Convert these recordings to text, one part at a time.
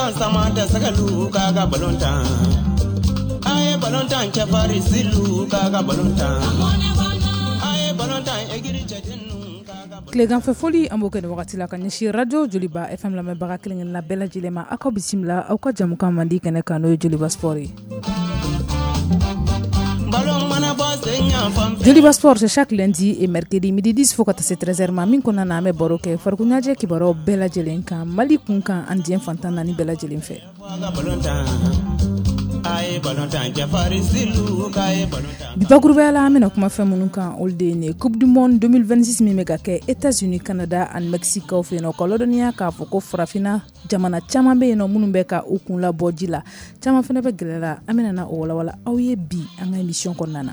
balontan sama tɛ sɛgɛlu k'a ka balontan. A ye balontan cɛfarin silu k'a ka balontan. A ye balontan egiri cɛdenninw. Tileganfɛ foli an b'o kɛ nin wagati la ka ɲɛsin radio Joliba FM lamɛnbaga kelen-kelenna bɛɛ lajɛlen ma. Aw ka bisimila aw ka jamukan mandi kɛnɛ kan, n'o ye Joliba Sport ye. Joliba Sport, c'est chaque lundi et mercredi midi 10 fo ka taa se 13h ma. Min kɔnɔna na, an bɛ baro kɛ farikolo ɲɛnajɛ kibaruyaw bɛɛ lajɛlen kan, Mali kun kan ani diɲɛ fantan naani bɛɛ lajɛlen fɛ. Bi bakurubaya la, an bɛna kuma fɛn minnu kan, olu de ye nin ye: Coupe du monde 2026 min bɛ ka kɛ États-Unis, Canada ani Mexique kaw fɛ yen nɔ. Ka ladɔnniya k'a fɔ ko farafinna jamana caman bɛ yen nɔ minnu bɛ ka u kun labɔ ji la, caman fana bɛ gɛlɛya la. An bɛna na o walawala aw ye bi an ka émission kɔnɔna na.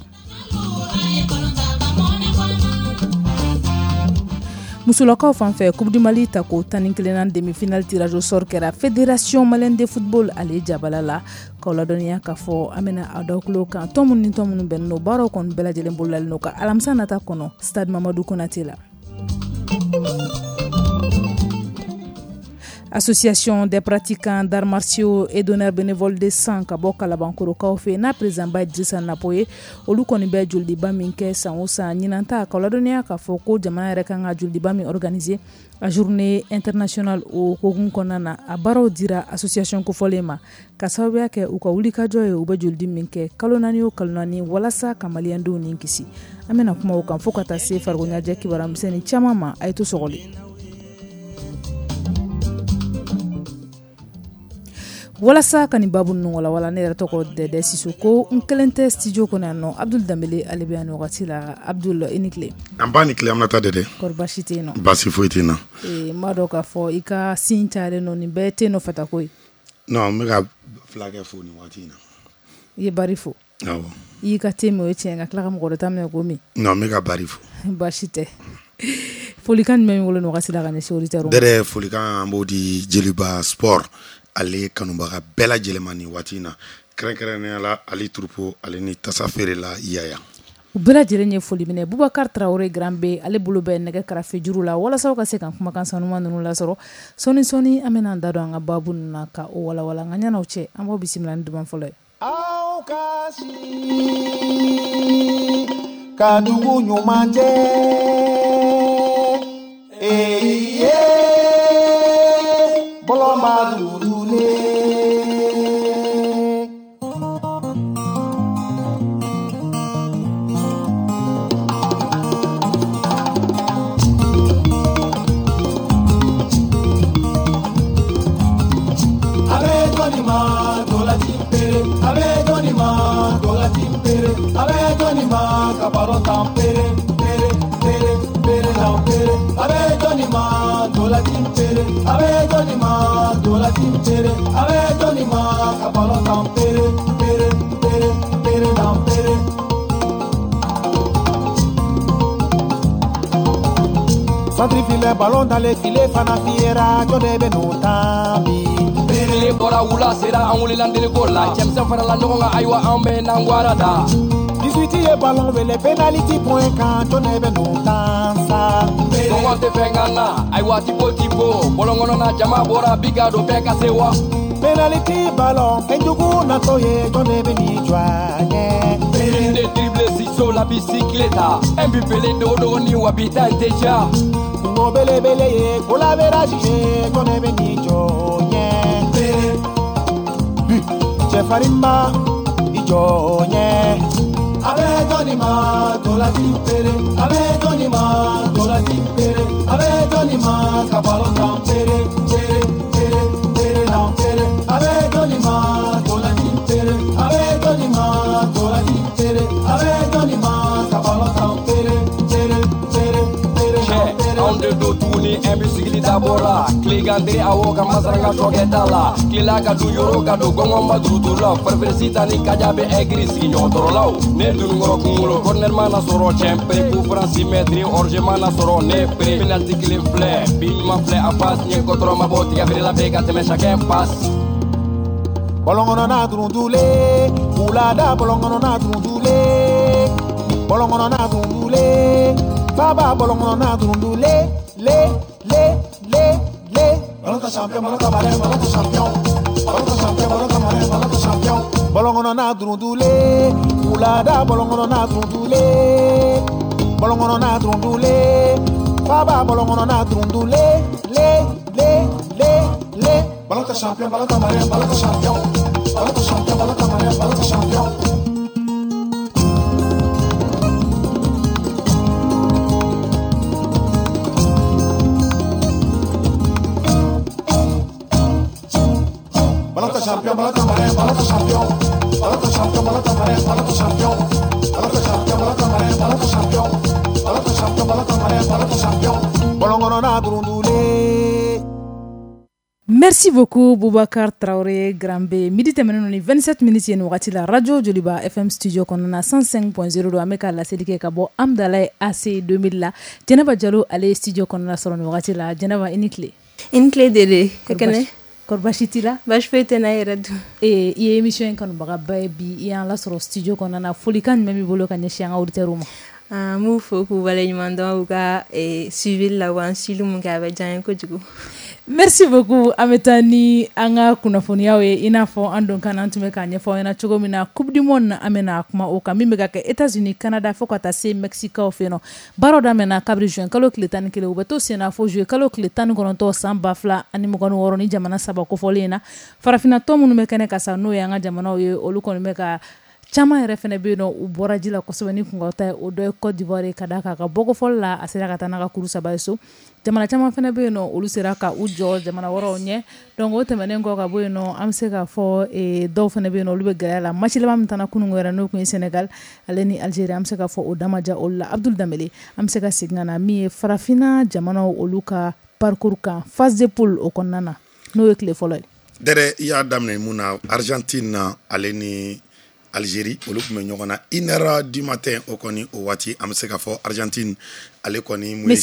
Musolakaw fan fɛ, Coupe du Mali ta ko 11nan demi-finale tirage au sort kɛra Fédération malienne de football ale jabala la. K'aw ladɔnniya k'a fɔ an bɛna a d'aw tulo kan, tɔn minnu ni tɔn minnu bɛnnen don, baaraw kɔni bɛɛ lajɛlen bololalen don ka alamisa nata kɔnɔ stade Mamadu Konate la. Association des pratiquants d'arts martiaux et donneurs bénévoles de sang ka bɔ Kalabankorokaw fɛ, n'a président ba Dirisa Napo ye, olu kɔni bɛ jolidiba min kɛ san o san. Ɲinan ta, k'aw ladɔnniya k'a fɔ ko jamana yɛrɛ kan ka jolidiba min organiser a journée internationale, o hokumu kɔnɔna na, a baaraw dira association kofɔlen ma ka sababuya kɛ u ka wulikajɔ ye. U bɛ jolidi min kɛ kalo 4 o kalo 4 walasa ka maliyɛndenw ni kisi, an bɛna kuma o kan fo ka taa se farikolo ɲɛnajɛ kibaruya misɛnnin caman ma. A ye to sɔgɔli walasa ka nin babu ninnu walawala. Ne yɛrɛ tɔgɔ Dɛdɛ Sisoko, n kelen tɛ studio kɔnɔ yan nɔ. Abdul Danbele, ale bɛ yan nin wagati la. Abdul, i ni tile. An ba ni tile, Aminata Dɛdɛ. Kɔri baasi tɛ yen nɔ? Baasi foyi tɛ n na. N b'a dɔn k'a fɔ i ka sin cayalen nɔ, nin bɛɛ tɛ nɔfɛ ta ko ye. Non, n bɛ ka fulakɛ fo nin waati in na. I ye Bari fo? Awɔ. I y'i ka te min, o ye tiɲɛ, ka tila ka mɔgɔ wɛrɛ ta minɛ k'o min. Non, n bɛ ka Bari fo. Baasi tɛ. Folikan jumɛn b'i bolo nin wagati la ka ɲɛsin auditeurs ma? Dɛdɛ, folikan an b'o di Joliba Sport ale kanubaga bɛɛ lajɛlen ma nin waati in na, kɛrɛnkɛrɛnnenya la Ali Turupo ale ni tasa feerela Yaya. U bɛɛ lajɛlen ye foli minɛ. Bubakar Tarawele Grand B, ale bolo bɛ nɛgɛ karafe juru la walasa ka se ka kumakan sanuman ninnu lasɔrɔ. Sɔɔni sɔɔni, an bɛna an da don an ka baabu ninnu na ka o walawala. Nka ɲan'o cɛ, an b'aw bisimila ni duman fɔlɔ ye. Aw ka si ka dugu ɲuman jɛ ee ye bɔlɔnba dugulen. A bɛ jɔnni ma ntolanci pere, a bɛ jɔnni ma ntolanci pere, a bɛ jɔnni ma ka balon tan pere pere pere pere tan pere, a bɛ jɔnni ma ntolanci pere, a bɛ jɔnni ma ntolanci pere, a bɛ jɔnni ma ka balon tan pere pere pere pere tan pere. Centre filet, ballon dans les filets, fana fiyera, jɔn de bɛ n'o tan bi? Tile bɔra, wula sera, an wulila ndeliko la, cɛmisɛn farala ɲɔgɔn kan, ayiwa an bɛ n'an gwara da. 18 ye ballon wele penalty point kan, jɔn de bɛ n'o tan sa? Kɔngɔ tɛ fɛn kan na, ayiwa tipo tipo, bɔlɔn kɔnɔna jama bɔra bi ka don bɛɛ ka se wa. Penalty ballon, fɛnjugu natɔ ye, jɔn de bɛ n'i jɔ a ɲɛ? De dribble ciseau la bicyclette, un but pele dogo ni wa bi ta tɛ ja. Kungo belebele ye, goal average ye, jɔn de bɛ n'i jɔ o ɲɛ? But, cɛfarinba, i jɔ o ɲɛ. A bɛ jɔnni ma ntolanci pere, a bɛ jɔnni ma ntolanci pere, a bɛ jɔnni ma ka balon tan pere pere pere pere tan pere, a bɛ jɔnni ma ntolanci pere, a bɛ jɔnni ma ntolanci pere, a bɛ jɔnni ma ka balon tan pere pere pere pere tan pere. Anw de don tuguni, un but sigili dabɔra tilegan awɔ ka masaranga tɔkɛ t'a la, tilela ka dun yɔrɔ ka don gɔngɔn ma duruduru la, farifirisi ta ni kaja bɛ ɛgiri sigiɲɔgɔn tɔɔrɔlaw ne dununkɔrɔ kunkolo corner mana sɔrɔ cɛn pere coup franc 6 mètres hors mana sɔrɔ ne pere penalty kelen filɛ bi ɲuman filɛ a passe ɲɛ kɔtɔrɔ ma bɔ tigɛ feerela bɛ ka tɛmɛ chacun passe. Bɔlɔn kɔnɔna durundulen, wulada bɔlɔn kɔnɔna durundulen, bɔlɔn kɔnɔna durundulen, faba bɔlɔn kɔnɔna durundulen, le le le le le. Balontan champion, balontan malien, balontan champion. Balontan champion, balontan malien, balontan champion. Ballon kɔnɔ n'a durundule, wulada ballon kɔnɔ n'a durundule. Ballon kɔnɔ n'a durundule, faba ballon kɔnɔ n'a durundule, le le le le. Balontan champion, balontan malien, balontan champion. Balontan champion, balontan malien, balontan champion. Balontan champion, balontan malien, balontan champion. Balontan champion, balontan malien, balontan champion. Balontan champion, balontan malien, balontan champion. Balontan champion, balontan malien, balontan champion. Ballon kɔnɔ n'a durundule. Merci beaucoup Boubacar Traoré Granbe. Midi tɛmɛnen ni 27 minutes ye nin wagati la, Radio Joliba FM studio kɔnɔna na, 105.0 don. An bɛ ka laseli kɛ ka bɔ Amdalaye AC 2000 la. Jɛnɛba Jalo, ale ye studio kɔnɔna sɔrɔ nin wagati la. Jɛnɛba, i ni tile. I ni tile Dede. Kɛnɛ? Kɔri baasi t'i la? Baasi foyi tɛ n na, e yɛrɛ dun? Ee, i ye émission in kanubagaba ye. Bi i y'an lasɔrɔ studio kɔnɔna na, folikan jumɛn b'i bolo ka ɲɛsin an ka auditeurs ma? An b'u fo k'u waleɲuman dɔn u ka suivi la, u b'an suivi mun kɛ, a bɛ diya n ye kojugu. Merci beaucoup. An bɛ taa ni an ka kunnafoniyaw ye. I n'a fɔ an don kan, an tun bɛ k'a ɲɛfɔ aw ɲɛna cogo min na, Coupe du monde, an bɛna kuma o kan, min bɛ ka kɛ États-Unis, Canada, fo ka taa se Mexique fɛ yen nɔ. Baaraw daminɛna kabiri juin kalo tile 11, u bɛ to sen na fo juillet kalo tile 19 san 2026. Ni jamana saba kofɔlen in na, farafinna tɔn minnu bɛ kɛnɛ ka sa, n'o ye an ka jamanaw ye, olu kɔni bɛ ka caman yɛrɛ fana bɛ yen nɔ, u bɔra ji la kosɛbɛ ni kunkɔrɔta ye. O dɔ ye Côte d'Ivoire ye, ka d'a kan a ka bɔko fɔlɔ la, a sera ka taa n'a ka kuru saba ye so. Jamana caman fana bɛ yen nɔ, olu sera ka u jɔ jamana wɛrɛw ɲɛ. Donc o tɛmɛnen kɔ ka bɔ yen nɔ, an bɛ se k'a fɔ dɔw fana bɛ yen nɔ, olu bɛ gɛlɛya la. Match laban min taara kunun yɛrɛ, n'o tun ye Sénégal ale ni Algérie, an bɛ se k'a fɔ o da ma diya olu la. Abdul Danbele, an bɛ se ka segin ka na min ye farafinna jamanaw olu ka parcours kan, phase de poule o kɔnɔna na, n'o ye tile fɔlɔ ye. Dɛrɛ, i y'a daminɛ mun na? Argentine na, ale ni Algérie, olu tun bɛ ɲɔgɔn na 1h du matin. O kɔni, o waati, an bɛ se k'a fɔ Argentine, ale kɔni mun ye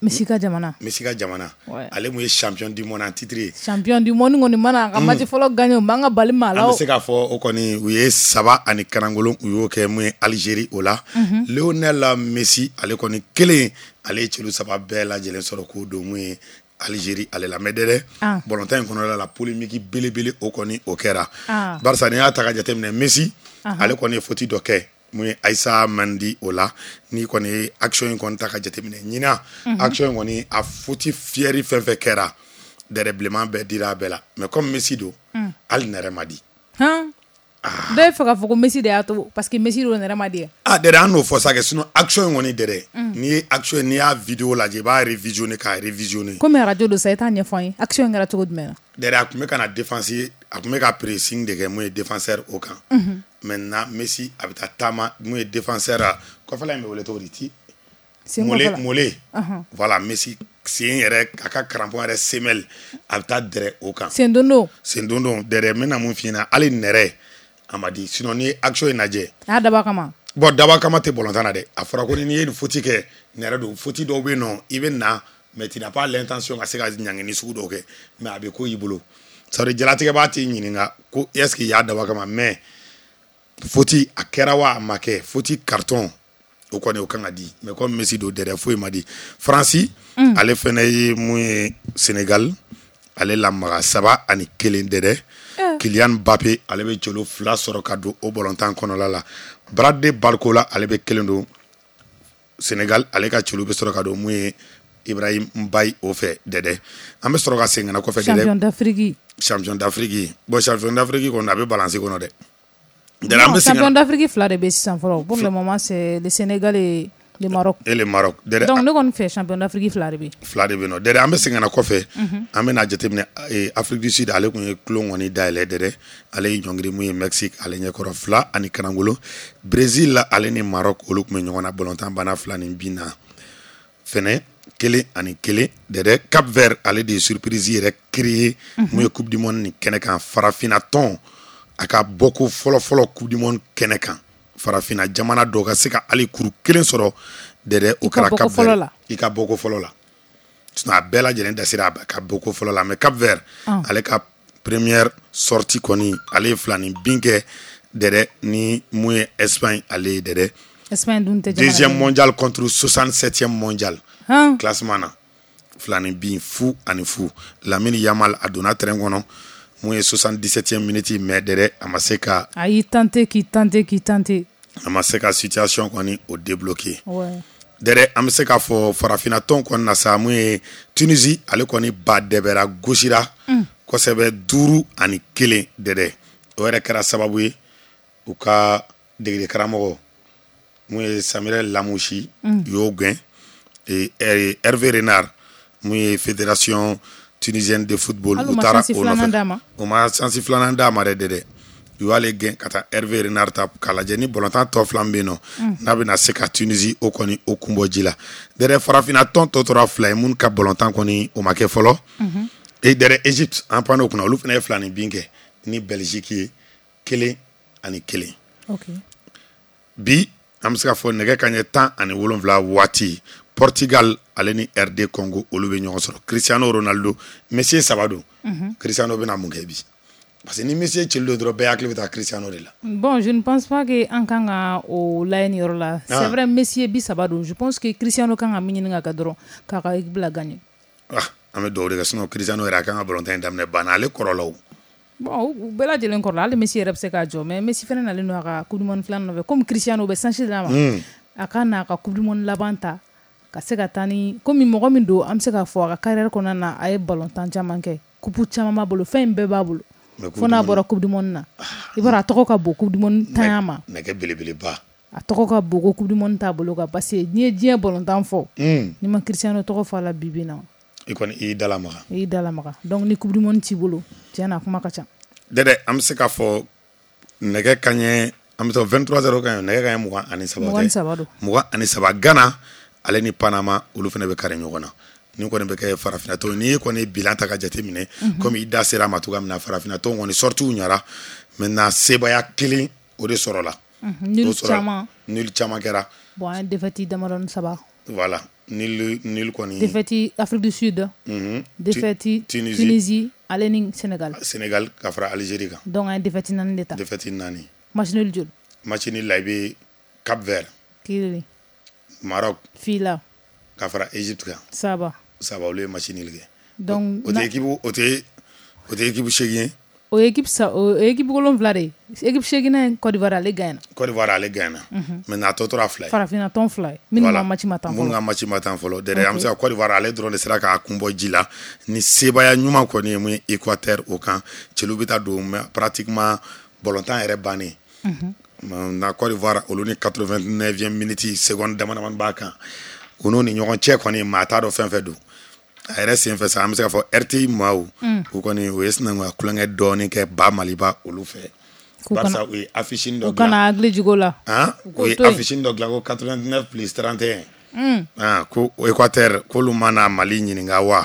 Messi ka jamana. Messi ka jamana, ale mun ye champion du monde en titre ye. Champion du monde kɔni mana a ka match fɔlɔ gagné, o man ka bali maa la. An bɛ se k'a fɔ o kɔni, u ye saba ani karangolo, u y'o kɛ mun ye Algérie o la. Lionel Messi, ale kɔni kelen, ale ye celu saba bɛɛ lajɛlen sɔrɔ k'o don mun ye Algérie ale la. Mais dɛ, ballontan in kɔnɔna la, polémique belebele, o kɔni, o kɛra, barisa n'i y'a ta ka jateminɛ, Messi, ale kɔni ye faute dɔ kɛ mun ye Aïssa Mandi o la. N'i kɔni ye action in kɔni ta ka jateminɛ, ɲinan action in kɔni, a faute fiyɛri fɛn fɛn kɛra dɛrɛ, bilenman bɛɛ dira a bɛɛ la. Mais comme Messi don, hali nɛrɛ ma di. Dɔw ye fɛ k'a fɔ ko Messi de y'a to, parce que Messi don, nɛrɛ ma di. Ah dɛrɛ, an n'o fɔ sa kɛ, sinon action in kɔni dɛrɛ, n'i ye action, n'i y'a vidéo lajɛ, i b'a révisionner k'a révisionner. Komi radio don sa, i t'a ɲɛfɔ an ye, action in kɛra cogo jumɛn na? Dɛrɛ, a tun bɛ ka na défense, a tun bɛ ka pressing de kɛ mun ye défenseur o kan. Maintenant Messi, a bɛ taa taama mun ye défenseur kɔfɛla in bɛ wele cogo di ti? Mollet, mollet. Voilà, Messi sen yɛrɛ, a ka crampon yɛrɛ semelle, a bɛ taa dɛrɛ o kan. Sen don. Sen don don dɛrɛ, n bɛna mun f'i ɲɛna, hali nɛrɛ a ma di. Sinon n'i ye action in lajɛ. A y'a dabɔ a kama. Bon, dabɔ a kama tɛ ballontan na dɛ. A fɔra ko n'i ye nin faute kɛ, nɛrɛ don. Faute dɔw bɛ yen nɔ, i bɛ na, mais tu n'as pas l'intention ka se ka ɲangini sugu dɔw kɛ, mais a bɛ ko i bolo. C'est à dire jalatigɛbaa t'i ɲininka ko est ce que i y'a dabɔ a kama, mais faute a kɛra wa a ma kɛ, faute carton o kɔni, o kan ka di. Mais comme Messi don dɛrɛ, foyi ma di. Faransi, ale fɛnɛ ye mun ye Sénégal ale lamaga 3-1 dɛrɛ. Kylian Mbappé, ale bɛ jolo fila sɔrɔ ka don o ballontan kɔnɔla la. Bradley Barcola, ale bɛ kelen don Sénégal ale ka celu bɛ sɔrɔ ka don mun ye Ibrahim Mbaye o fɛ dɛdɛ. An bɛ sɔrɔ ka segin ka na kɔfɛ dɛdɛ. Champion d'Afrique. Champion d'Afrique, bon, champion d'Afrique kɔni, a bɛ balance kɔnɔ dɛ. Non, champion d'Afrique fila de bɛ sisan fɔlɔ. Pour le moment, c'est le Sénégal et le Maroc. Et le Maroc. Dɛdɛ, donc ne kɔni fɛ, champion d'Afrique fila de bɛ. Fila de bɛ yen nɔ dɛdɛ. An bɛ segin ka na kɔfɛ, an bɛ na jateminɛ Afrique du Sud, ale tun ye tulon kɔni dayɛlɛ dɛdɛ. Ale ye ɲɔngiri mun ye Mexique ale ɲɛkɔrɔ 2-1. Brésil ale ni Maroc, olu tun bɛ ɲɔgɔn na, ballontan banna fila ni bin na fɛnɛ, 1-1 dɛdɛ. Cap Vert, ale de ye surprise yɛrɛ créé mun ye Coupe du monde nin kɛnɛ kan. Farafinna tɔn a ka bɔko fɔlɔ-fɔlɔ Coupe du monde kɛnɛ kan, farafinna jamana dɔ ka se ka hali kuru kelen sɔrɔ dɛdɛ, o kɛra Cap Vert i ka bɔko fɔlɔ la. Sinon a bɛɛ lajɛlen dasira a ka bɔko fɔlɔ la, mais Cap Vert, ale ka première sortie kɔni, ale ye fila ni bin kɛ dɛdɛ ni mun ye Espagne ale ye dɛdɛ. Espagne dun tɛ. Deuxième mondial contre 67e mondial classement na. Filani bin 0-0. Lamine Yamal a donna terrain kɔnɔ mun ye 77e minute, mais dɛrɛ a ma se ka A y'i tenter, k'i tenter, k'i tenter. A ma se ka situation kɔni o débloquer. Ouais. Dɛrɛ, an bɛ se k'a fɔ farafinna tɔn kɔni na sa, mun ye Tunisie, ale kɔni ba dɛbɛra, gosira kosɛbɛ, 5-1. Dɛrɛ, o yɛrɛ kɛra sababu ye u ka degeli karamɔgɔ mun ye Samir Lamouchi u y'o gɛn. Hervé Renard, mun ye Fédération tunisienne de football, Hali u u ma taara chance o filanan nɔfɛ. d'a ma. U ma chance filanan d'a ma dɛ. Dɛ, u y'ale gɛn ka taa Hervé Renard ta k'a lajɛ ni bɔlɔntan tɔ fila min bɛ yen nɔ, n'a bɛna se ka Tunisie o kɔni o kun bɔ ji la. Dɛrɛ, farafinna tɔn tɔ tora fila ye minnu ka bɔlɔntan kɔni o ma kɛ fɔlɔ. E dɛrɛ, Égypte, an pan'o kunna, olu fana ye filani bin kɛ ni Belgique ye, 1-1. Bi an bɛ se k'a fɔ nɛgɛ kaɲɛ 17 waati, Portugal ale ni RD Congo, olu bɛ ɲɔgɔn sɔrɔ. Cristiano Ronaldo, Messi ye saba don. Cristiano bɛna mun kɛ bi? Parce que ni Messi ye cili don dɔrɔn, bɛɛ hakili bɛ taa Cristiano de la. Bon, je ne pense pas que an kan ka o lajɛ nin yɔrɔ la. C'est vrai, Messi ye 30 don. Je pense que Cristiano kan ka min ɲini ka kɛ dɔrɔn, k'a ka équipe la gagner. Ah, an bɛ dugawu de kɛ, sinon Cristiano yɛrɛ a kan ka balontan in daminɛ banna, ale kɔrɔla o. Bon, u bɛɛ lajɛlen kɔrɔla, hali Messi yɛrɛ bɛ se k'a jɔ, mais Messi fana nalen don a ka coupe du monde filanan nɔfɛ. Comme Cristiano bɛ chance d'a ma, a ka n'a ka coupe du monde laban ta ka se ka taa ni komi mɔgɔ min don, an bɛ se k'a fɔ a ka carrière kɔnɔna na, a ye ballon-tan caman kɛ, coupe caman b'a bolo, fɛn in bɛɛ b'a bolo. Mais fo n'a bɔra coupe du monde na, i b'a dɔn a tɔgɔ ka bon coupe du monde tanya ma. Nɛgɛ belebeleba. A tɔgɔ ka bon ko coupe du monde t'a bolo kan, parce que n'i ye diɲɛ ballon-tan fɔ, n'i ma Cristiano tɔgɔ fɔ a la bi bi in na, i kɔni i y'i da lamaga. I y'i da lamaga. Donc ni coupe du monde t'i bolo, tiɲɛ na, a kuma ka ca. Dɛdɛ, an bɛ se k'a fɔ nɛgɛ kaɲɛ, an bɛ taa 23 heures kaɲɛ, nɛgɛ kaɲɛ 23. 23 don. 23, Ghana ale ni Panama, olu fana bɛ kari ɲɔgɔn na. Ni kɔni bɛ kɛ farafinna tɔn, n'i ye kɔni bilan ta ka jate minɛ, komi i da sera a ma cogoya min na, farafinna tɔn kɔni sorties ɲara. Maintenant, sebaaya kelen o de sɔrɔla. Nul O sɔrɔla. caman. Nul caman kɛra. Bon, an ye défaite damadɔni saba. Voilà, nul kɔni. Défaite Afrique du Sud, défaite Tunisie. Tunisie ale ni Sénégal. Sénégal ka fara Algérie kan. Donc an ye défaite naani de ta. Défaite naani. Match nul joli? Match nul la, i bɛ Cap Vert, Kelen. Maroc, Fila. ka fara Égypte kan. Saba. Saba, olu ye match nul kɛ. Donc o tɛ équipe, o tɛ équipe seegin ye. O ye équipe sa, o ye équipe wolonwula de ye. Équipe seeginnan ye Côte d'Ivoire, ale gagne na. Côte d'Ivoire, ale gagne na. Maintenant, a tɔ tora fila ye. Farafinna tɔn fila ye minnu ka match ma tan minnu fɔlɔ. ka match ma tan fɔlɔ. Dɛrɛ, an bɛ se ka Côte d'Ivoire ale dɔrɔn de sera k'a kun bɔ ji la ni sebaaya ɲuman kɔni ye mun ye Équateur o kan. Cɛlu bɛ taa don, mais pratiquement ballontan yɛrɛ bannen na, Côte d'Ivoire olu ni 89e minute, seconde dama damani b'a kan, u n'u ni ɲɔgɔn cɛ kɔni, maa t'a dɔn fɛn fɛn don a yɛrɛ sen fɛ sa. An bɛ se k'a fɔ RTI maaw, u kɔni u ye sinankunya kulonkɛ dɔɔni kɛ ba Maliba olu fɛ, K'u kana- barisa u ye affiche dɔ U kana hakili jigin o la. Han, U k'o u ye to yen. affiche dɔ dilan ko 89 plus 31. Ah, ko Équateur k'olu mana Mali ɲininka wa,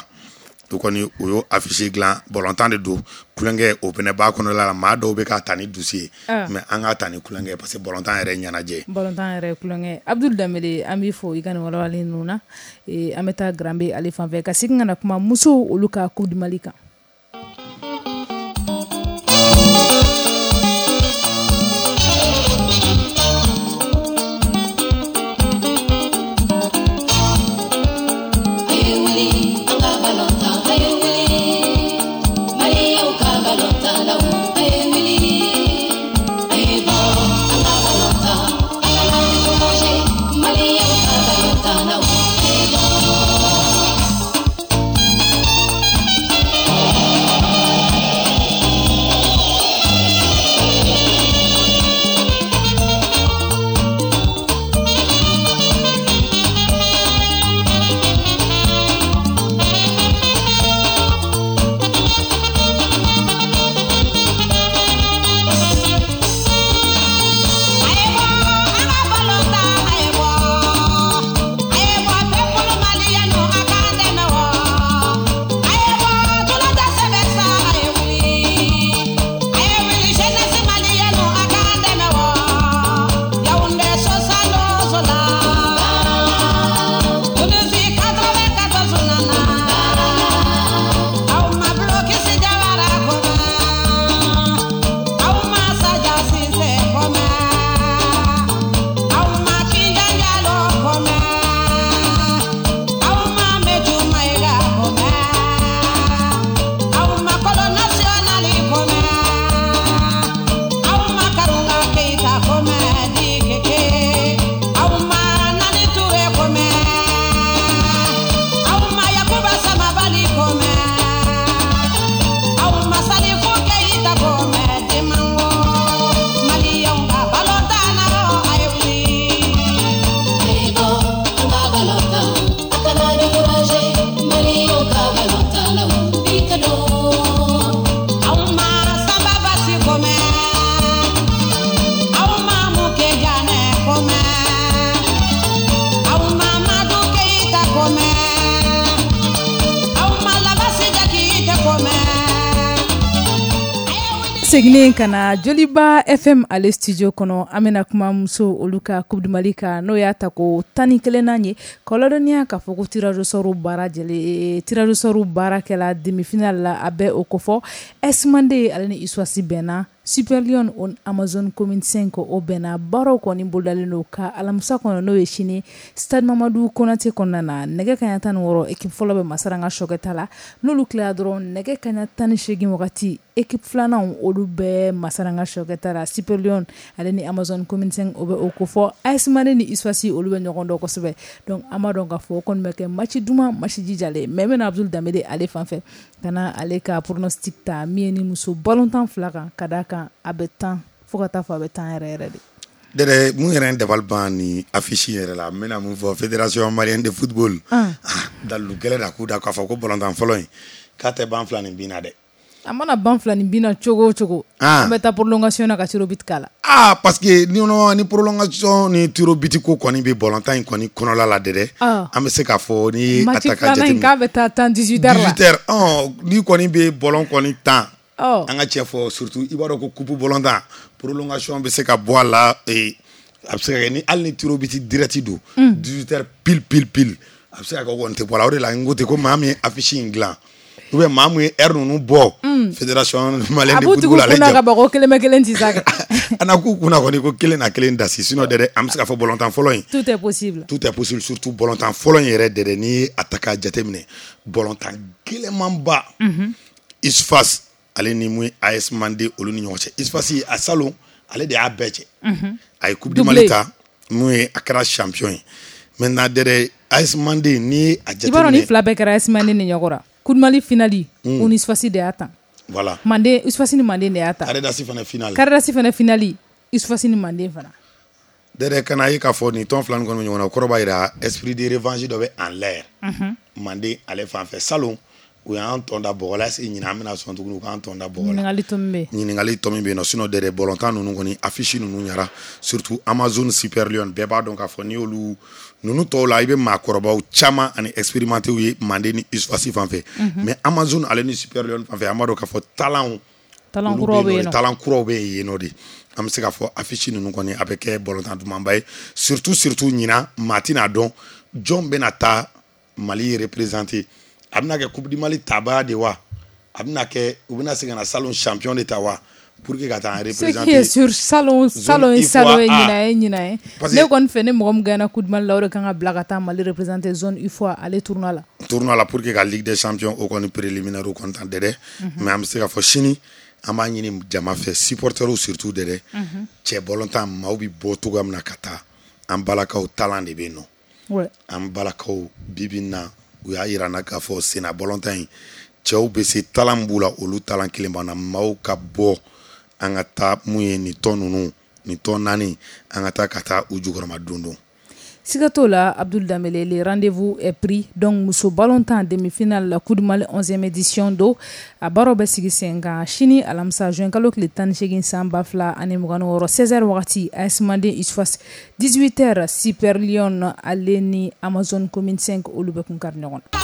u kɔni u y'o affiche dilan. Ballontan de don, kulonkɛ o fɛnɛ b'a kɔnɔla la. Maa dɔw bɛ k'a ta ni dusu ye, mais an k'a ta ni kulonkɛ ye, parce que ballontan yɛrɛ ye ɲɛnajɛ ye. Ballontan yɛrɛ ye kulonkɛ. Abdul Danbele, an b'i fo i ka nin walawalali ninnu na. An bɛ taa Granbe ale fan fɛ ka segin ka na kuma musow olu ka coupe du Mali kan. A ye wuli, an ka balontan, a ye wuli, Maliyaw ka balontan la, a ye wuli, a ye bɔ, an ka balontan, a kana décourager, Maliyaw ka balontan la, a ye bɔ. Seginnen ka na Joliba FM ale studio kɔnɔ, an bɛna kuma muso olu ka Coupe du Mali kan, n'o y'a ta ko 11nan ye. K'aw ladɔnniya k'a fɔ ko tirage au sort baara jɛlen, tirage au sort baara kɛla demi-finale la, a bɛ o kofɔ. AS Mande ale ni USFAS bɛnna, Super Lion o Amazone Commune 5 o bɛnna. Baaraw kɔni bolodalen don ka alamisa kɔnɔ, n'o ye sini, stade Mamadu Konate kɔnɔna na, nɛgɛ kaɲa 16, équipe fɔlɔ bɛ Masaranga Sɔkɛta la. N'olu tilara dɔrɔn, nɛgɛ kaɲa 18 wagati, équipe filanan olu bɛ Masaranga Sɔkɛta la. Super Lion ale ni Amazone Commune 5 o bɛ o kofɔ. AS Mande ni USFAS, olu bɛ ɲɔgɔn dɔn kosɛbɛ, donc an b'a dɔn k'a fɔ o kɔni bɛ kɛ match duman, match jijalen. Mais n bɛna Abdul Danbele ale fan fɛ ka na ale ka pronostic ta min ye ni muso balontan fila kan, ka d'a kan a bɛ tan fo ka taa fɔ a bɛ tan yɛrɛ yɛrɛ de. Dɛdɛ, mun yɛrɛ dabali ban ni affiche yɛrɛ la, n bɛna mun fɔ? Fédération malienne de football, dalilu gɛlɛn da k'u da k'a fɔ ko balontan fɔlɔ in k'a tɛ ban fila ni bin na dɛ. A mana ban fila ni bin na cogo o cogo, an bɛ taa prolongation na ka tir au but k'a la. Ah, parce que ni prolongation ni tir au but ko kɔni bɛ balontan in kɔni kɔnɔla la dɛ, an bɛ se k'a fɔ ni a ta ka jateminɛ k'a bɛ taa tan 18 heures la. 18 heures, ni kɔni bɛ ballon kɔni tan, an ka cɛ fɔ, surtout i b'a dɔn ko coupe ballontan, prolongation bɛ se ka bɔ a la, a bɛ se ka kɛ ni hali ni tir au but direct don, 18 heures pile pile pile, a bɛ se ka kɛ o kɔni tɛ bɔ a la. O de la n ko ten ko maa min ye affiche in dilan ou bien maa mun ye heure ninnu bɔ, Fédération malienne de football, ale jɔ a b'u kunna ka bɔ ko kelen bɛ kelen ci sa kɛ. A na k'u kunna kɔni ko kelen na kelen dasi. Sinon dɛ, an bɛ se k'a fɔ balontan fɔlɔ in, tout est possible. Tout est possible, surtout balontan fɔlɔ in yɛrɛ dɛ, n'i ye a ta k'a jateminɛ, balontan gɛlɛnmanba, USFAS ale ni mun ye AS Mande olu ni ɲɔgɔn cɛ. USFAS a salon ale de y'a bɛɛ cɛ, a ye Coupe du Mali ta, mun ye a kɛra champion ye. Maintenant dɛ, AS Mande, n'i ye a jateminɛ, i b'a dɔn ni fila bɛɛ kɛra AS Mande ni ɲɔgɔn la. Coupe du Mali finale, o ni USFAS de y'a tan. Voilà. Mande, USFAS ni Mande de y'a ta. Carré d'as fana finale. Carré d'as fana finale, USFAS ni Mande fana. Dɛdɛ, kana ye k'a fɔ nin tɔn fila nin kɔni bɛ ɲɔgɔn na, o kɔrɔ b'a jira esprit de revanche dɔ bɛ en l'air. Mande ale fan fɛ, salon u y'an tɔn da bɔgɔ la, est-ce que ɲinan an bɛna sɔn tuguni u k'an tɔn da bɔgɔ la? Ɲininkali tɔ min bɛ yen. Ɲininkali tɔ min bɛ yen nɔ. Sinon dɛdɛ, balontan ninnu kɔni affiche ninnu ɲara, surtout Amazone Super Lion, bɛɛ b'a dɔn k'a fɔ n'i y'olu ninnu tɔw la, i bɛ maakɔrɔbaw caman ani expérimentés ye Mande ni USFAS fan fɛ, mais Amazone ale ni Super Lion fan fɛ, an b'a dɔn k'a fɔ talent talent kuraw bɛ yen nɔ. Talent kuraw bɛ yen nɔ de. An bɛ se k'a fɔ affiche ninnu kɔni a bɛ kɛ balontan dumanba ye, surtout ɲinan maa tɛna dɔn jɔn bɛna taa Mali représenter. A bɛna kɛ Coupe du Mali tabaa de wa, a bɛna kɛ u bɛna se ka na salon champion de ta wa, pour que ka taa représenter. Ce qui est sûr, salon salon ye salon ye, ɲinan ye ɲinan ye. Ne kɔni fɛ, ni mɔgɔ min gagné Coupe du Mali la, o de kan ka bila ka taa Mali représenter zone UFOA ale tournoi la. Tournoi la, pour que ka Ligue des champions o kɔni préliminaire kɔni tan dɛ. Mais an bɛ se k'a fɔ sini an b'a ɲini jama fɛ, supporters surtout dɛ, cɛ balontan maaw bɛ bɔ cogoya min na ka taa, an balakaw talent de bɛ yen nɔ. An balakaw bi bi in na, u y'a yira n na k'a fɔ senna balontan in cɛw bɛ se, talent b'u la, olu talent kelen b'an na. Maaw ka bɔ, an ka taa mun ye nin tɔn ninnu, nin tɔn naani, an ka taa u jukɔrɔma don don. Siga t'o la, Abdul Dambele, le rendez-vous est pris. Donc muso ballontan demi-finale la Coupe du Mali 11e édition do, a baaraw bɛ sigi sen kan sini alamisa, juin kalo tile 18 san 2026, 16h wagati, AS Mande USFAS, 18h, Super Lion ale ni Amazone Commune 5 olu bɛ kun kari ɲɔgɔn na.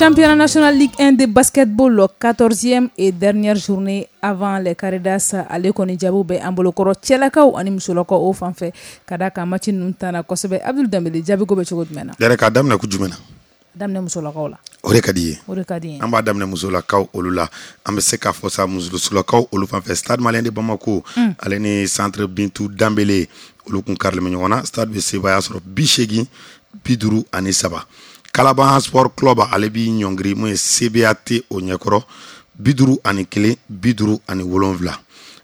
Championnat national Ligue 1 de basketball, 14e et dernière journée avant les Caridas, ale kɔni jaabiw bɛ an bolokɔrɔ cɛlakaw ani musolakaw o fan fɛ, ka da kan match ninnu tanna kosɛbɛ. Abdul Danbele, jaabiko bɛ cogo jumɛn na? Yɛrɛ k'a daminɛ ko jumɛn na? Daminɛ musolakaw la. O de ka di ye. O de ka di ye. An b'a daminɛ musolakaw olu la. An bɛ se k'a fɔ sa, musolakaw olu fan fɛ, Stade Malien de Bamako, ale ni Centre Bintu Danbele, olu kun karilen bɛ ɲɔgɔn na. Stade bɛ sebaaya sɔrɔ 80-53. Kalaban Sport Club, ale b'i ɲɔngiri mun ye CBAT o ɲɛkɔrɔ, 51-57.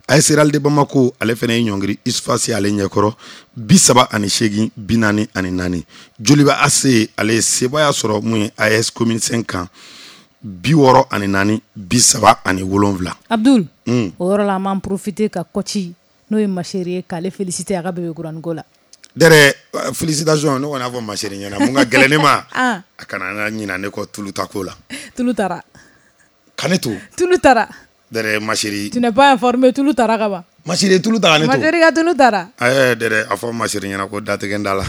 AS Real de Bamako, ale fana ye ɲɔngiri USFAS ale ɲɛkɔrɔ, 38-44. Joliba AC, ale ye sebaaya sɔrɔ mun ye AS Commune 5 kan, 64-37. Abdul, o yɔrɔ la, an b'an profiter ka coach, n'o ye Maseri ye, k'ale féliciter a ka bébé kuraniko la. Dɛrɛ, félicitation. Ne kɔni y'a fɔ Maseri ɲɛna, mun ka gɛlɛn ne ma, a kana na ɲina ne kɔ tulu ta ko la. Tulu taara. Ka ne to. Tulu taara. Dɛrɛ, Maseri. Tu n'es pas informé, tulu taara ka ban. Maseri, tulu ta ka ne to. Maseri ka tulu taara. Ɛɛ Dɛrɛ, a fɔ Maseri ɲɛna ko datigɛ n da la.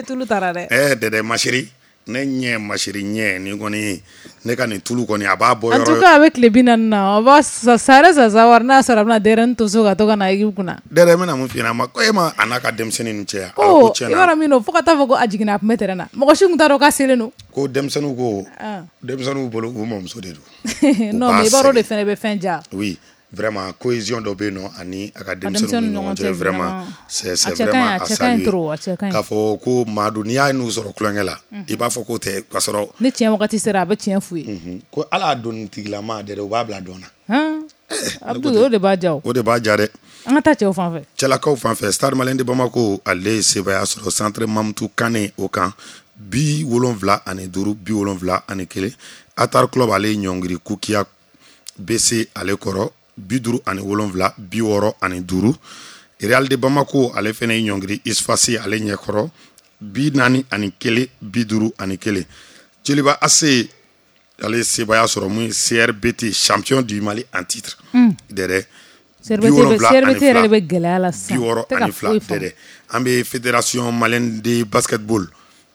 Tulu taara dɛ. Ɛɛ Dɛrɛ, Maseri, ne ɲɛ, Maseri ɲɛ nin kɔni, ne ka nin tulu kɔni, a b'a bɔ yɔrɔ. En tout cas, a bɛ tile 40 na, on va ça reste à savoir n'a sɔrɔ a bɛna denyɛrɛnin to so ka to ka na équipe kunna. Dɛrɛ, n bɛna mun f'i ɲɛna? Ma ko e ma a n'a ka denmisɛnnin ninnu cɛ. Ko i b'a dɔn min don, fo ka taa fɔ ko a jiginna, a tun bɛ terrain na, mɔgɔ si tun t'a dɔn k'a selen don. Ko denmisɛnninw, ko denmisɛnninw bolo, u mɔmuso de don. Non, mais i b'a dɔn, o de fana bɛ fɛn ja. Oui, vraiment, cohésion dɔ bɛ yen nɔ ani a ka denmisɛnninw ni ɲɔgɔn cɛ, vraiment, c'est vraiment à saluer. K'a fɔ ko maa don, n'i y'a n'u sɔrɔ tulonkɛ la, i b'a fɔ k'o tɛ k'a sɔrɔ. Ni tiɲɛ wagati sera, a bɛ tiɲɛ f'u ye. Ko ala y'a donitigilama dɛ, u b'a bila dɔn na. Abdul, o de b'a ja o. O de b'a ja dɛ. An ka taa cɛw fan fɛ. Cɛlakaw fan fɛ, Stade Malien de Bamako, ale ye sebaaya sɔrɔ Centre Mamutu Kane o kan, 75-71. Atar Club, ale ye ɲɔngiri Kukiya BC ale kɔrɔ, 57-65. Real de Bamako, ale fana ye ɲɔngiri USFAS ale ɲɛkɔrɔ, 41-51. Joliba AC, ale ye sebaaya sɔrɔ mun ye CRBT, champion du Mali en titre, dɛrɛ. CRBT yɛrɛ de bɛ gɛlɛya la sisan. 62 dɛrɛ. An bɛ Fédération malienne de basketball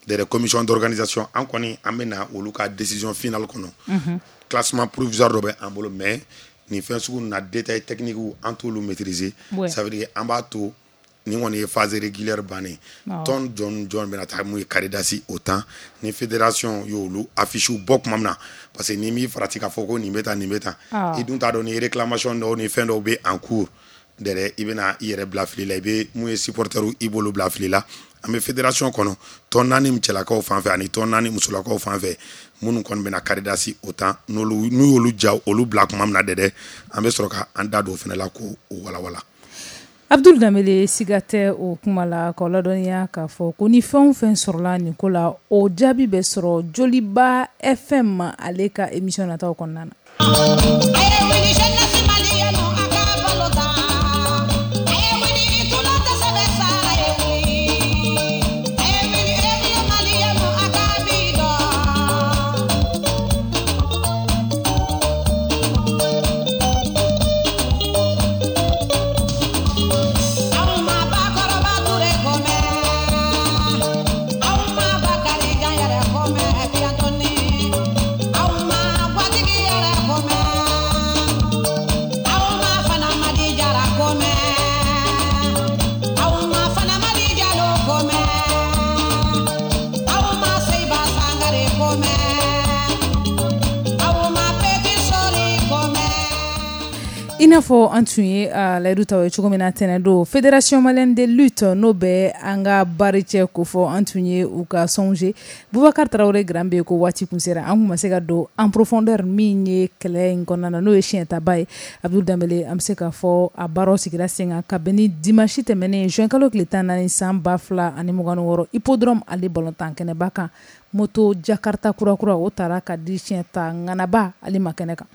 dɛrɛ, commission d'organisation, an kɔni an bɛ na olu ka décision finale kɔnɔ. Classement provisoire dɔ bɛ an bolo, mais nin fɛn sugu na, détail technique, an t'olu maîtriser. Ça veut dire an b'a to nin kɔni ye phase régulière bannen, tɔn jɔn jɔn bɛna taa mun ye Caridas o temps, ni fédération y'olu affiche bɔ tuma min na, parce que ni m'i farati k'a fɔ ko nin bɛ tan, nin bɛ tan, i dun t'a dɔn ni réclamation dɔw ni fɛn dɔw bɛ en cours dɛrɛ, i bɛna i yɛrɛ bila fili la, i bɛ mun ye supporter, i b'olu bila fili la. An bɛ fédération kɔnɔ, tɔn naani cɛlakaw fan fɛ ani tɔn naani musolakaw fan fɛ, minnu kɔni bɛna Caridas o temps, n'olu n'u y'olu ja, olu bila tuma min na dɛ, an bɛ sɔrɔ ka an da don o fana la k'o walawala. Abdul Danbele, siga tɛ o kuma la, k'aw ladɔnniya k'a fɔ ko ni fɛn o fɛn sɔrɔla nin ko la, o jaabi bɛ sɔrɔ Joliba FM ale ka émission nataw kɔnɔna na. I n'a fɔ an tun ye layidu ta ye cogo min na tɛnɛn don, Fédération malienne de lutte, n'o bɛ an ka bari cɛ ko fɔ, an tun ye u ka songe Bubakari Tarawele Grand bɛ ko waati kun sera, an kun ma se ka don en profondeur min ye kɛlɛ in kɔnɔna na, n'o ye siɲɛtaba ye. Abdul Danbele, an bɛ se k'a fɔ a baaraw sigira sen kan kabini dimanche tɛmɛnen, juin kalo tile 14 san 2026, hippodrome ale balontan kɛnɛba kan, moto Jakarta kura o taara ka di siɲɛta ŋanaba ale ma kɛnɛ kan.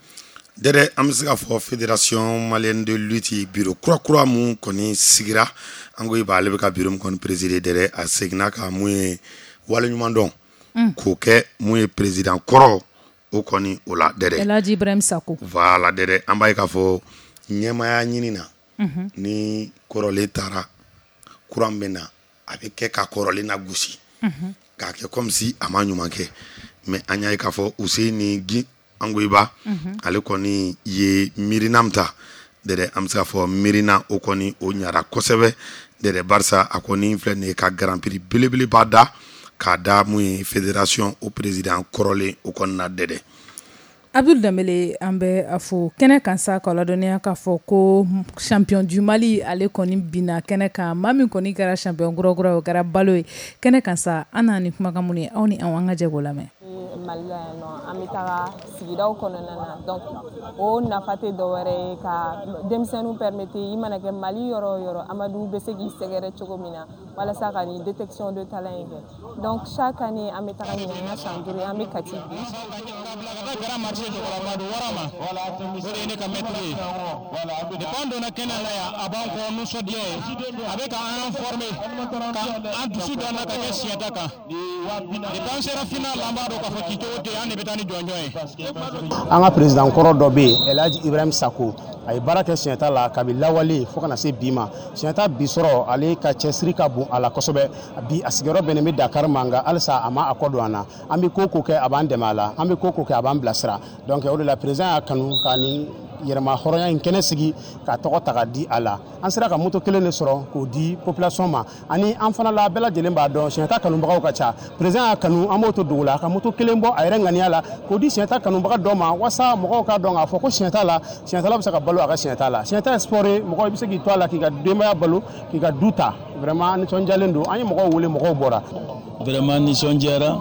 Dɛrɛ, an bɛ se k'a fɔ Fédération malienne de lutte bureau kura mun kɔni sigira, an ko i b'a, ale bɛ ka bureau min kɔni présider dɛrɛ, a seginna ka mun ye waleɲuman dɔn k'o kɛ mun ye président kɔrɔ o kɔni o la dɛrɛ. El Hadji Ibrahim Sako. Voilà dɛrɛ, an b'a ye k'a fɔ ɲɛmaaya ɲini na, ni kɔrɔlen taara, kura min bɛ na, a bɛ kɛ ka kɔrɔlen na gosi, k'a kɛ comme si a ma ɲuman kɛ. Mais an y'a ye k'a fɔ Useni Angoyiba, ale kɔni ye miirina min ta dɛdɛ, an bɛ se k'a fɔ miirina o kɔni o ɲara kosɛbɛ dɛdɛ, barisa a kɔni filɛ nin ye ka grand prix belebeleba da k'a da mun ye fédération o président kɔrɔlen o kɔni na dɛdɛ. Abdul Danbele, an bɛ a fo kɛnɛ kan sa, k'a ladɔnniya k'a fɔ ko champion du Mali, ale kɔni binna kɛnɛ kan. Maa min kɔni kɛra champion kura o kɛra Balo ye kɛnɛ kan sa. An n'a ni kumakan minnu ye, aw ni anw, an ka jɛ k'o lamɛn. Mali la yan nɔ, an bɛ taga sigidaw kɔnɔna na. Donc o nafa tɛ dɔwɛrɛ ye ka denmisɛnninw permettre, i mana kɛ Mali yɔrɔ o yɔrɔ, Amadu bɛ se k'i sɛgɛrɛ cogo min na walasa ka nin détection de talent in kɛ. Donc chaque année an bɛ taga. Ɲinan y'a san 5 ye, an bɛ Kati bi. O de ye ne ka maître ye. Depuis an donna kɛnɛ la yan, a b'an kɔ nisɔndiya ye, a bɛ ka an former, ka an dusu don an na ka kɛ siɲɛta kan. Depuis an sera final, an b'a dɔn k'a fɔ cicogo tɛ yen, an de bɛ taa ni jɔnjɔn ye. An ka président kɔrɔ dɔ bɛ yen, Elhaji Ibrahim Sako, a ye baara kɛ siɲɛta la kabi lawale fo kana se bi ma. Siɲɛta bi sɔrɔ, ale ka cɛsiri ka bon a la kosɛbɛ. Bi a sigiyɔrɔ bɛnnen bɛ Dakar ma, nka halisa a ma a kɔ don an na. An bɛ ko ko kɛ, a b'an dɛmɛ a la. An bɛ ko ko kɛ, a b'an bilasira. Donc o de la président y'a kanu ka nin yɛrɛma hɔrɔnya in kɛnɛ sigi ka tɔgɔ ta ka di a la. An sera ka moto kelen de sɔrɔ k'o di population ma. Ani an fana la, bɛɛ lajɛlen b'a dɔn siɲɛta kanubagaw ka ca. Président y'a kanu, an b'o to dugu la, ka moto kelen bɔ a yɛrɛ ŋaniya la k'o di siɲɛta kanubaga dɔ ma, walasa mɔgɔw k'a dɔn k'a fɔ ko siɲɛta la, siɲɛtala bɛ se ka balo a ka siɲɛta la. Siɲɛta ye sport ye, mɔgɔ i bɛ se k'i to a la k'i ka denbaya balo, k'i ka du ta. Vraiment nisɔndiyalen don. An ye mɔgɔw wele, mɔgɔw bɔra. Vraiment nisɔndiyara.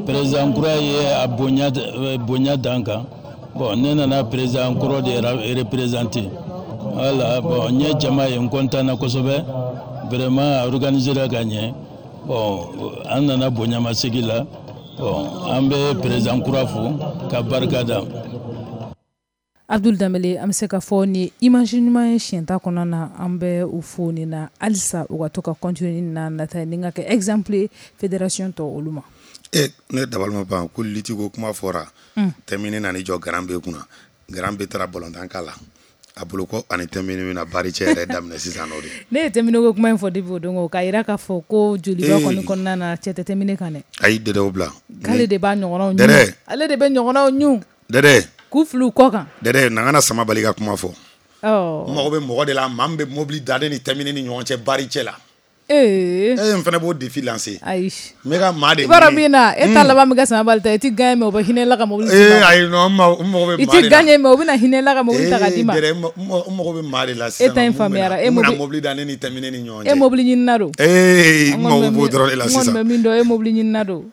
Président kura ye a bonya bonya dan kan. Bon, ne nana président kɔrɔ de représenter. Voilà, bon, n ye jama ye, n content na kosɛbɛ. Vraiment a organisé la ka ɲɛ. Bon, an nana bonyamasegi la. Bon, an bɛ président kura fo ka barika da. Abdul Danbele, an bɛ se ka fɔ ni image ɲuman ye siɲɛta kɔnɔna na. An bɛ u fo nin na halisa, u ka to ka continuer na nata ni ka kɛ exemple ye fédération tɔ olu ma. E, ne dabali ma ban ko lutte ko kuma fɔra. Tɛmini nana jɔ Garan bɛ kunna, Garan bɛ taara balontan k'a la a bolo ko ani Tɛmini bɛna bari cɛ yɛrɛ daminɛ sisan nɔ de. Ne ye Tɛmini ko kuma in fɔ depuis o don o, k'a yira k'a fɔ ko joliba kɔni kɔnɔna na, cɛ tɛ Tɛmini kan dɛ. Ayi dɛdɛ, o bila. K'ale de b'a ɲɔgɔnnaw ɲun, ale de bɛ ɲɔgɔnnaw ɲun. Dɛdɛ. K'u fili u kɔ kan. Dɛdɛ, na kana sama bali ka kuma fɔ. N mago bɛ mɔgɔ de la, maa min bɛ mobili da ne ni Tɛmini ni ɲɔgɔn cɛ bari cɛ la. Ee. E, n fana b'o défi lancer. Ayi. N bɛ ka maa de I b'a dɔn min na, e ta laban bɛ kɛ sama bali ta, i ti gagner mais u bɛ hinɛ la ka mobili d'i ma. Ee ayi, non, n mago bɛ maa de la. I ti gagner mais u bɛna hinɛ la ka mobili ta ka d'i ma. Ee dɛdɛ, n mago bɛ maa de la sisan. E ta in faamuyara. E mobili mobili da ne ni Tɛmini ni ɲɔgɔn cɛ. E mobili ɲinina don. Ee, n mago b'o dɔrɔn de la sisan. N kɔni bɛ min dɔn, e mobili ɲinina don.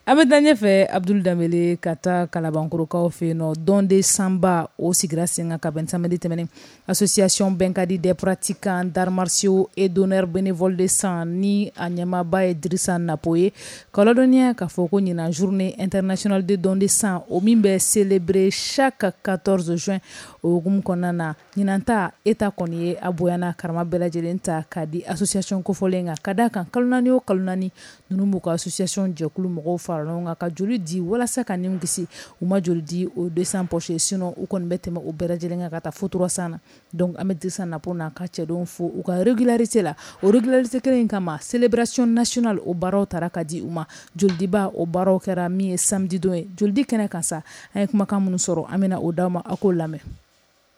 An bɛ taa ɲɛfɛ, Abdul Danbele, ka taa Kalabankorokaw fɛ yen nɔ. Don de sanba o sigira sen kan ka bɛn samedi tɛmɛnen. Association Bɛnkadi des pratiquants d'arts martiaux et donneurs bénévoles de sang, ni a ɲɛmaaba ye Dirisa Napo ye, ka ladɔnniya k'a fɔ ko ɲinan journée internationale de don de sang, o min bɛ célébrer chaque 14 juin, o hukumu kɔnɔna na, ɲinan ta État kɔni ye a bonya karama bɛɛ lajɛlen ta k'a di association kofɔlen kan, ka d'a kan kalo 4 o kalo 4, ninnu b'u ka association jɛkulu mɔgɔw fara ɲɔgɔn kan ka joli di walasa ka nin kisi. U ma joli di, o 200 poches, sinon u kɔni bɛ tɛmɛ o bɛɛ lajɛlen kan ka taa fo 300 na. Donc an bɛ Dirisa Napo n'a ka cɛdenw fo u ka régularité la. O régularité kelen in kama, célébration nationale o baaraw taara ka di u ma. Jolidiba o baaraw kɛra min ye samedi don ye. Jolidi kɛnɛ kan sa, an ye kumakan minnu sɔrɔ, an bɛna o d'aw ma, aw k'o lamɛn.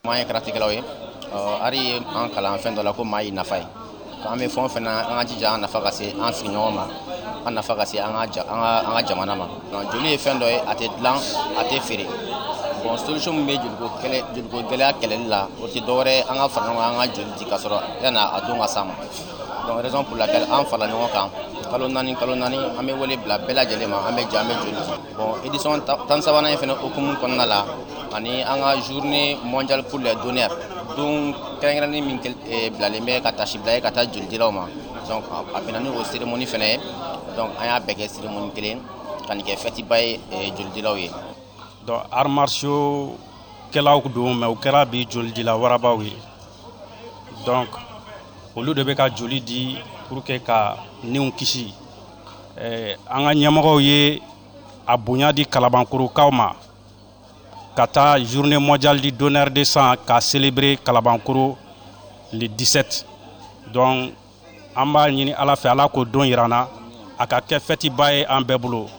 An ye karatekɛlaw ye. Ari ye an kalan fɛn dɔ la ko maa y'i nafa ye. An bɛ fɛn o fɛn na, an ka jija an nafa ka se an sigiɲɔgɔn ma, an nafa ka se an ka jamana ma. Joli ye fɛn dɔ ye, a tɛ dilan, a tɛ feere. Bon, solution min bɛ joliko kɛlɛ, joliko gɛlɛya kɛlɛli la, o tɛ dɔwɛrɛ ye an ka fara ɲɔgɔn kan, an ka joli di ka sɔrɔ yanni a don ka s'a ma. Donc raison pour laquelle an farala ɲɔgɔn kan, kalo 4 kalo 4, an bɛ wele bila bɛɛ lajɛlen ma, an bɛ jɛ, an bɛ joli di. Bon, édition 13nan in fana hukumu kɔnɔna la, ani an ka journée mondiale pour les donneurs, don kɛrɛnkɛrɛnnen min bilalen bɛ ka tasi bila ye ka taa jolidilaw ma. Donc a bɛnna ni o cérémonie fana ye. Donc an y'a bɛɛ kɛ cérémonie kelen ka nin kɛ fête ba ye jolidilaw ye. Donc arts martiaux kɛlaw don, mais u kɛra bi jolidila warabaw ye. Donc olu de bɛ ka joli di pour que ka niw kisi. An ka ɲɛmɔgɔw ye a bonya di Kalabankorokaw ma ka taa journée mondiale du donneur de sang ka célébrer Kalabankoro le 17. Donc an b'a ɲini Ala fɛ, Ala k'o don yira an na, a ka kɛ fête ba ye an bɛɛ bolo.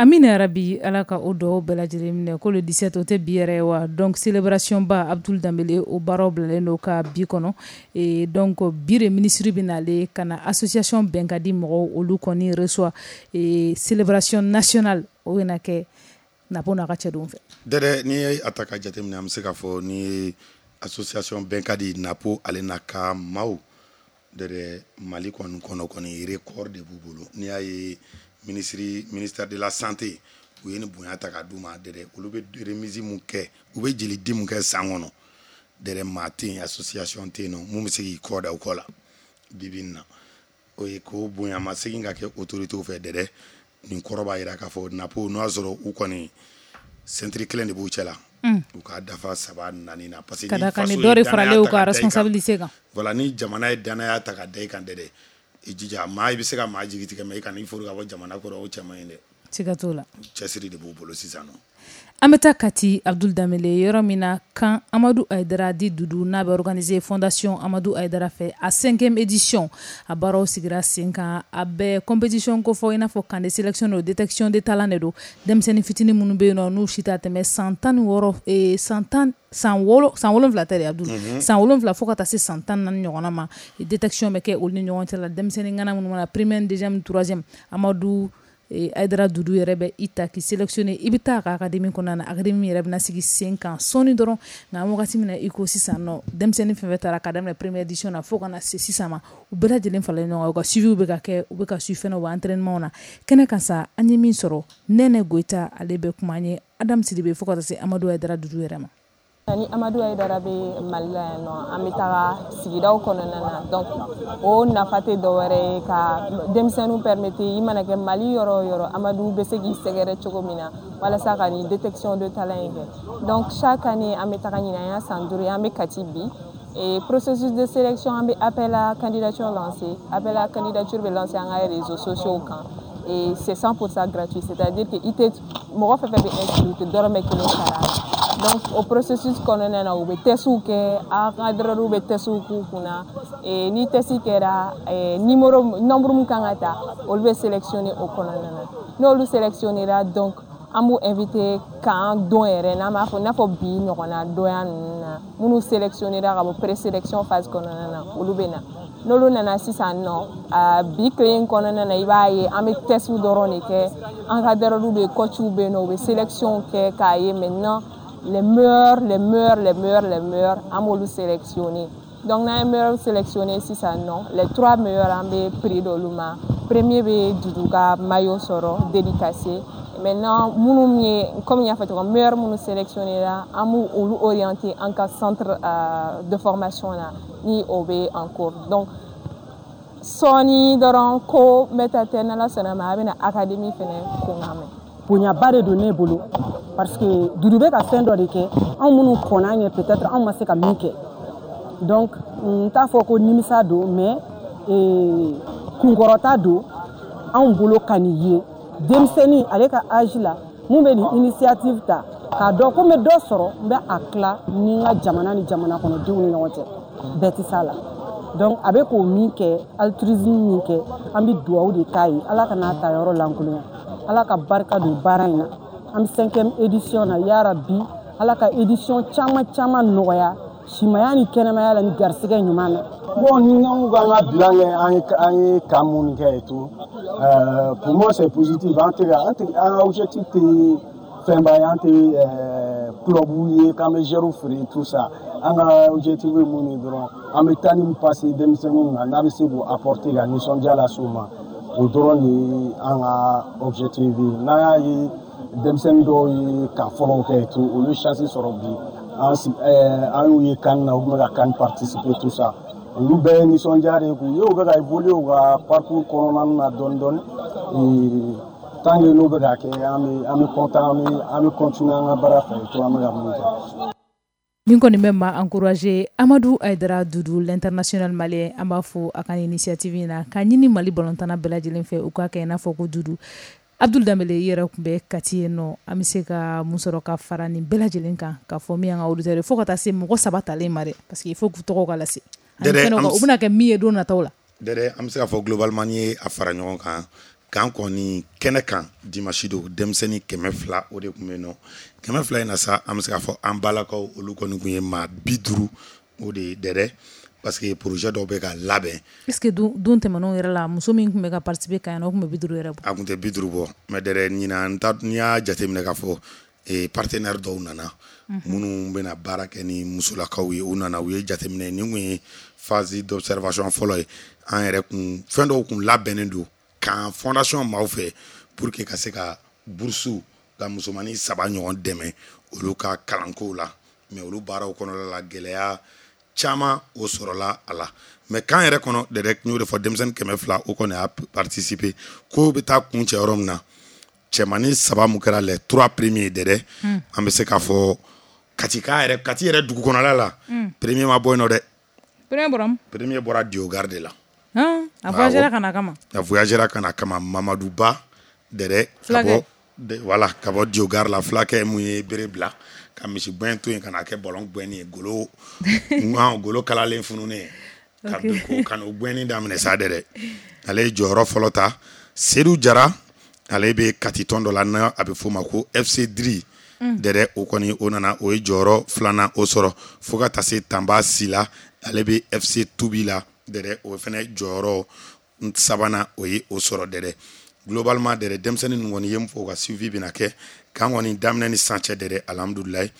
Amina yarabi, Ala ka o dugawu bɛɛ lajɛlen minɛ. Ko le 17, o tɛ bi yɛrɛ ye wa? Donc célébration ba, Abdoul Dembele, o baaraw bilalen don ka bi kɔnɔ. Et donc bi de ministre bɛ nalen ka na association Bɛnkadi mɔgɔw, olu kɔni reçoit. Et célébration nationale, o bɛna kɛ Napo n'a ka cɛdenw fɛ. Dɛdɛ, n'i ye a ta ka jateminɛ, an bɛ se k'a fɔ ni ye association Bɛnkadi Napo, ale n'a ka maaw dɛdɛ, Mali kɔni kɔnɔ kɔni, record de b'u bolo. N'i y'a ye ministre, ministère de la santé, u ye nin bonya ta k'a d'u ma dɛdɛ, olu bɛ remise mun kɛ, u bɛ jeli di mun kɛ san kɔnɔ dɛdɛ, maa tɛ yen, association tɛ yen nɔ mun bɛ se k'i kɔ da u kɔ la bi bi in na. O ye k'o bonya ma segin ka kɛ autorité fɛ dɛdɛ. Nin kɔrɔ b'a jira k'a fɔ Napo, n'o y'a sɔrɔ u kɔni ceinture kelen de b'u cɛ la, u k'a dafa saba naani na, parce que ka da kan ni dɔ de faralen u ka responsabilité kan. Voilà, ni jamana ye danaya ta ka da i kan dɛdɛ, i jija. Maa i bɛ se ka maa jigi tigɛ, mais i kana i furu ka bɔ jamana kɔrɔ, o cɛ man ɲi dɛ. Siga t'o la. Cɛsiri de b'u bolo sisan nɔ. An bɛ taa Kati, Abdoul Dembele, yɔrɔ min na camp Amadu Hayidara dit Dudu, n'a bɛ organiser fondation Amadu Hayidara fɛ, a cinquième édition, a baaraw sigira sen kan. A bɛ compétition kofɔ, i n'a fɔ camp de sélection don, détection de talent de don. Denmisɛnnin fitinin minnu bɛ yen nɔ, n'u si t'a tɛmɛ san 16, san 10, san 6, san 7 tɛ dɛ Abdoul, san 7 fo ka taa se san 14 ɲɔgɔnna ma, détection bɛ kɛ olu ni ɲɔgɔn cɛ la. Denmisɛnnin ŋana minnu mana première, deuxième, troisième, Amadu Hayidara Dudu yɛrɛ bɛ i ta k'i sélectionner, i bɛ taa a ka académie kɔnɔna na. Académie yɛrɛ bɛna sigi sen kan sɔɔni dɔrɔn. Nka an wagati min na i ko sisan nɔ, denmisɛnnin fɛn fɛn taara ka daminɛ première édition na fo ka na se sisan ma, u bɛɛ lajɛlen faralen ɲɔgɔn kan, u ka suivi bɛ ka kɛ, u bɛ ka suivi fɛnɛ u ka entraînement na kɛnɛ kan sa. An ye min sɔrɔ, Nɛnɛ Goyita, ale bɛ kuma an ye, Adam Sidibe, fo ka taa se Amadu Hayidara Dudu yɛrɛ ma. Ni Amadu Hayidara bɛ Mali la yan nɔ, an bɛ taga sigidaw kɔnɔna na. Donc o nafa tɛ dɔwɛrɛ ye ka denmisɛnninw permettre, i mana kɛ Mali yɔrɔ o yɔrɔ, Amadu bɛ se k'i sɛgɛrɛ cogo min na walasa ka nin détection de talent in kɛ. Donc chaque année an bɛ taga. Ɲinan an y'a san 5 ye, an bɛ Kati bi. Et processus de sélection, an bɛ appel à candidature lancé. Appel à candidature bɛ lancé an ka réseaux sociaux kan et c'est 100% gratuit, c'est-à-dire que i tɛ mɔgɔ fɛn fɛn bɛ inscrit, u tɛ dɔrɔmɛ kelen sara a la. Donc o processus kɔnɔna na, u bɛ testw kɛ, encadreur bɛ testw k'u kunna. Et ni test kɛra, numéro, nombre min kan ka ta, olu bɛ sélectionner o kɔnɔna na. N'olu sélectionnera, donc an b'u invité k'an don yɛrɛ, n'an b'a fɔ i n'a fɔ bi ɲɔgɔnna donya ninnu na, minnu sélectionnera ka bɔ présélection phase kɔnɔna na, olu bɛ na. N'olu nana sisan nɔ, bi tile in kɔnɔna na, i b'a ye an bɛ test dɔrɔn de kɛ. Encadreur bɛ, coach bɛ yen nɔ, u bɛ sélection kɛ k'a ye maintenant les meilleurs, les meilleurs, les meilleurs, les meilleurs, an b'olu sélectionner. Donc n'an ye meilleurs sélectionner sisan nɔ, les trois meilleurs, an bɛ prix d'olu ma. Premier bɛ Dudu ka maillot sɔrɔ dédicacé. Maintenant minnu ye, comme n y'a fɔ cogo min, meilleur minnu sélectionné la, an b'u olu orienter an ka centre de formation na, ni o bɛ en cours. Donc sɔɔni dɔrɔn ko n bɛ taa tɛ, n'Ala sɔnna ma, a bɛna académie fɛnɛ kun kan mɛn. Bonyaba de don ne bolo, parce que Dudu bɛ ka fɛn dɔ de kɛ, anw minnu kɔnna ɲɛ, peut-être anw ma se ka min kɛ. Donc n t'a fɔ ko nimisa don, mais kunkɔrɔta don anw bolo ka nin ye. Denmisɛnnin ale ka âge la, mun bɛ nin initiative ta k'a dɔn ko n bɛ dɔ sɔrɔ, n bɛ a tila ni n ka jamana ni jamana kɔnɔdenw ni ɲɔgɔn cɛ, bɛɛ tɛ s'a la. Donc a bɛ k'o min kɛ, altruisme min kɛ, an bɛ dugawu de k'a ye, Ala ka n'a ta yɔrɔ lankolonya, Ala ka barika don baara in na. An bɛ cinquième édition na, yarabi Ala ka édition caman caman nɔgɔya, simaya ni kɛnɛmaya la ni garisɛgɛ ɲuman na. Bon, ni anw k'an ka bilan kɛ, an ye camp minnu kɛ et tout, pour moi c'est positif. An tɛ an tɛ an ka objectif tɛ fɛnba ye, an tɛ club ye k'an bɛ joueurs feere, tout ça. An ka objectif ye mun ye dɔrɔn, an bɛ temps min passer denmisɛnninw kan, n'a bɛ se k'u apporter ka nisɔndiya lase u ma, o dɔrɔn de ye an ka objectif ye. N'an y'a ye denmisɛnnin dɔw ye camp fɔlɔw kɛ et tout, olu ye chance sɔrɔ bi, an an y'u ye CAN na, u tun bɛ ka CAN participer, tout ça, olu bɛɛ ye nisɔndiya de ye k'u ye u bɛ ka évoluer u ka parcours kɔnɔna na dɔɔni dɔɔni. Tant que n'o bɛ ka kɛ, an bɛ content, an bɛ continuer an ka baara fɛ et tout, an bɛ ka mun kɛ. Nin kɔni bɛ maa encourager. Amadu Hayidara Dudu, l'international malien, an b'a fɔ a ka initiative in na k'a ɲini Mali balontanna bɛɛ lajɛlen fɛ, u k'a kɛ i n'a fɔ ko Dudu. Abdoul Dembele, i yɛrɛ tun bɛ Kati yen nɔ, an bɛ se ka mun sɔrɔ ka fara nin bɛɛ lajɛlen kan k'a fɔ min y'an ka auditeurs ye, fo ka taa se mɔgɔ saba talen ma dɛ, parce que il faut k'u tɔgɔ ka lase, u bɛna kɛ min ye don nataw la? Dɛdɛ, an bɛ se k'a fɔ globalement, n'i ye a fara ɲɔgɔn kan Camp kɔni kɛnɛ kan dimanche don, denmisɛnnin 200 o de tun bɛ yen nɔ. 200 in na sa, an bɛ se k'a fɔ an balakaw olu kɔni tun ye maa 50 o de ye dɛrɛ, parce que projet dɔw bɛ ka labɛn. Est ce que don tɛmɛnenw yɛrɛ la, muso min tun bɛ ka participer camp in na, o tun bɛ 50 yɛrɛ bɔ? A tun tɛ 50 bɔ, mais dɛrɛ ɲinan ta, n'i y'a jateminɛ k'a fɔ partenaire dɔw nana minnu bɛna baara kɛ ni musolakaw ye, u nana, u ye jateminɛ. Nin kun ye phase d'observation fɔlɔ ye. An yɛrɛ kun fɛn dɔw kun labɛnnen don camp fondation maaw fɛ pour que ka se ka bourse ka musomannin 3 ɲɔgɔn dɛmɛ olu ka kalankow la, mais olu baaraw kɔnɔna la, gɛlɛya caman o sɔrɔla a la. Mais camp yɛrɛ kɔnɔ dɛrɛ, n y'o de fɔ, denmisɛnnin 200 o kɔni y'a participer. Ko bɛ taa kun cɛ yɔrɔ min na, cɛmannin 3 mun kɛra les 3 premiers dɛrɛ, an bɛ se k'a fɔ Kati ka yɛrɛ, Kati yɛrɛ dugu kɔnɔla la, premier ma bɔ yen nɔ dɛ. Premier bɔra min? Premier bɔra Diogare de la. A voyagera ka na kama. A voyagera ka na kama, Mamadu Ba dɛrɛ, ka bɔ voilà, ka bɔ Diogare la. Fulakɛ mun ye bere bila ka misi gɛn to yen ka na kɛ ballon gɛnni ye, golo golo kalalen fununen ka ka n'o gɛnni daminɛ sa dɛrɛ, ale ye jɔyɔrɔ fɔlɔ ta. Seydou Jara, ale bɛ Kati tɔn dɔ la n'a a bɛ f'o ma ko FC Diri dɛrɛ, o kɔni o nana, o ye jɔyɔrɔ filanan o sɔrɔ, fo ka taa se Tanba Sila, ale bɛ FC Tubi la dɛrɛ, o fana jɔyɔrɔ sabanan o ye o sɔrɔ dɛrɛ. Globalement dɛrɛ, denmisɛnnin ninnu kɔni ye mun fɔ, u ka suivi bɛna kɛ. Camp kɔni daminɛ ni sisan cɛ dɛrɛ, alhamdulilayi,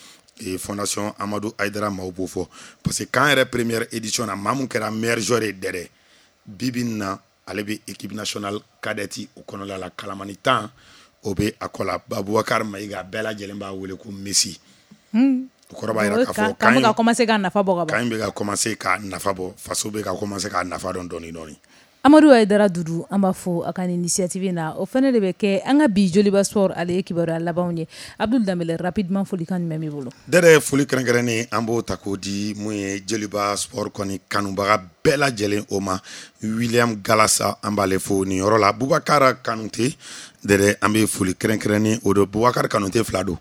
fondation Amadu Hayidara maaw b'o fɔ, parce que camp yɛrɛ première édition na, maa mun kɛra meilleur joueur ye dɛrɛ, bi bi in na ale bɛ équipe nationale cadette o kɔnɔla la, kalamani 10 o bɛ a kɔ la, Abubakar Mayiga, bɛɛ lajɛlen b'a wele ko Messi. O kɔrɔ b'a jira k'a fɔ camp bɛ ka commencer k'a nafa bɔ ka ban, camp bɛ ka commencer k'a nafa bɔ, faso bɛ ka commencer k'a nafa dɔn dɔɔni dɔɔni. Amadu Hayidara Dudu, an b'a fo a ka nin initiative na. O fana de bɛ kɛ an ka bi Joliba Sport ale ye kibaruya labanw ye. Abdul Danbele, rapidement, folikan jumɛn b'i bolo? Dɛrɛ, foli kɛrɛnkɛrɛnnen an b'o ta k'o di mun ye Joliba Sport kɔni kanubaga bɛɛ lajɛlen o ma. William Galasa, an b'ale fo nin yɔrɔ la. Bubakar Kanute dɛrɛ, an bɛ foli kɛrɛnkɛrɛnnen o don. Bubakar Kanute fila don,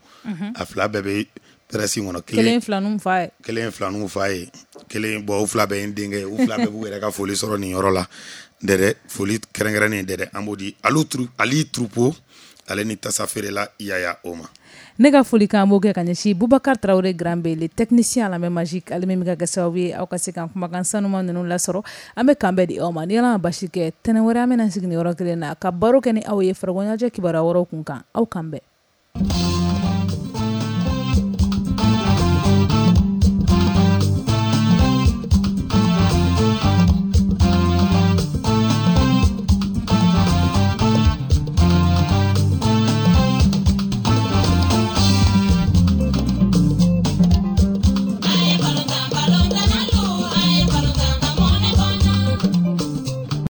a fila bɛɛ bɛ presse kɔnɔ. Kelen filaninw fa ye, kelen filaninw fa ye, kelen bon, u fila bɛɛ ye n denkɛ ye, u fila bɛɛ b'u yɛrɛ ka foli sɔrɔ nin yɔrɔ la dɛrɛ. Foli kɛrɛnkɛrɛnnen dɛrɛ, an b'o di Ali Troupeau, ale ni tasa feerela Yaya o ma. Ne ka foli kan b'o kɛ ka ɲɛsin Bubakar Tarawele Grand B, le technicien à la main magique, ale min bɛ ka kɛ sababu ye aw ka se ka kumakan sanuma ninnu lasɔrɔ. An bɛ kan bɛɛ di aw ma. Ni Ala ma basi kɛ, tɛnɛn wɛrɛ an bɛna sigi nin yɔrɔ kelen na ka baro kɛ ni aw ye farikolo ɲɛnajɛ kibaruya wɛrɛw kun kan. Aw kan bɛn.